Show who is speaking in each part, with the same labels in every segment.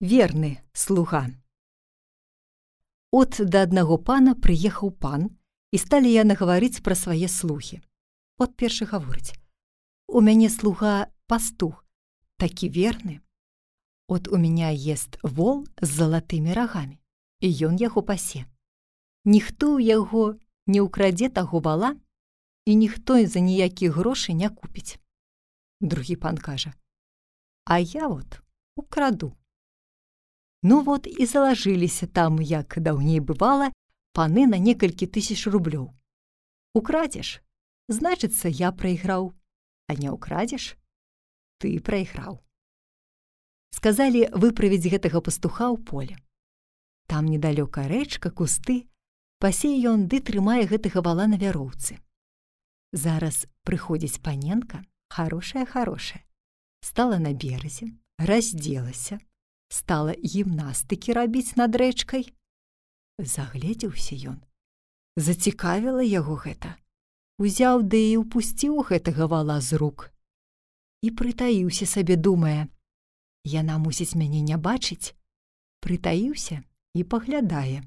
Speaker 1: Верны слуга. От да аднаго пана прыехаў пан, і сталі яны гаварыць пра свае слугі. От першы гаворыць: «У мяне слуга пастух, такі верны. От у меня ест вол з залатымі рагамі, і ён яго пасе. Ніхто ў яго не ўкрадзе таго вала, і ніхто за ніякіх грошай не купіць». Другі пан кажа: «А я вот украду». Ну вот і залажыліся там, як даўней бывала, паны на некалькі тысяч рублёў. Украдзеш, значыцца, я прайграў, а не украдзеш, ты прайграў. Сказалі выправіць гэтага пастуха ў поле. Там недалёка рэчка, кусты, пасе ён ды трымае гэтага вала на вяроўцы. Зараз прыходзіць паненка, харошая, стала на беразе, раздзелася, стала гімнастыкі рабіць над рэчкай. Загледзеўся ён. Зацікавіла яго гэта. Узяў ды і ўпусціў гэтага вала з рук. І прытаіўся сабе, думае: яна мусіць мяне не бачыць. Прытаіўся і паглядае.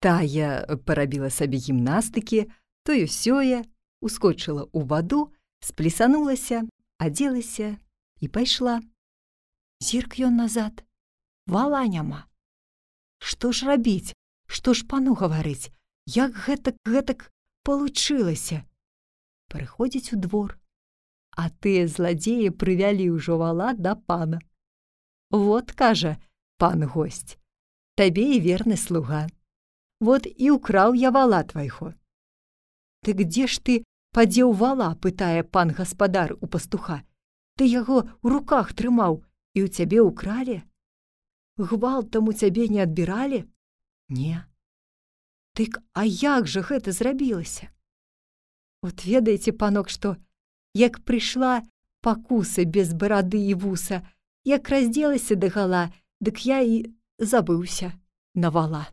Speaker 1: Тая парабіла сабе гімнастыкі, тое-сёе, ускочыла ў ваду, сплесанулася, адзелася і пайшла. Зірк ён назад, вала няма. Што ж рабіць? Што ж пану гаварыць? Як гэтак палучылася? Прыходзіць у двор, а тыя зладзеі прывялі ўжо вала да пана. Вот, кажа пан госць, табе і верны слуга. Вот і ўкраў я вала твайго. Ты дзе ж ты падзеў вала, пытае пан гаспадар у пастуха. Ты яго ў руках трымаў, і ў цябе ўкралі? Гвалтам у цябе не адбіралі? Не. Дык а як жа гэта зрабілася? От ведаеце, панок, што як прыйшла пакуса без барады і вуса, як раздзелася дагала, дык я і забыўся на вала.